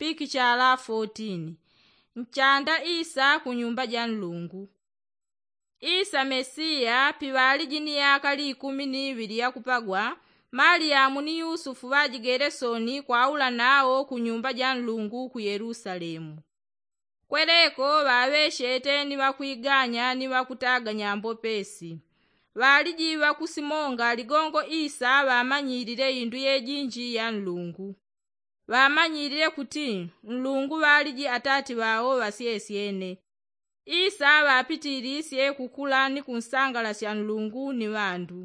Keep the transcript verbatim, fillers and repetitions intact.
pikichala fotin. Nchanda isa ku nyumba ja nlungu. Isa mesiya piŵaliji ni yaka likumi ni iŵili yakupagwa, maliyamu ni yusufu ŵajigele soni kwaula nawo ku nyumba ja nlungu ku yelusalemu. Kweleko ŵaŵechete ni ŵakwiganya ni ŵakutaga nyambo pesi. Ŵaliji ŵakusimonga ligongo isa ŵamanyilile indu yejinji ya nlungu. Ŵamanyilile kuti nlungu ŵaliji atati ŵawo ŵasyesyene. Isa ŵapitilisye kukula ni kunsangalasya nlungu ni ŵandu.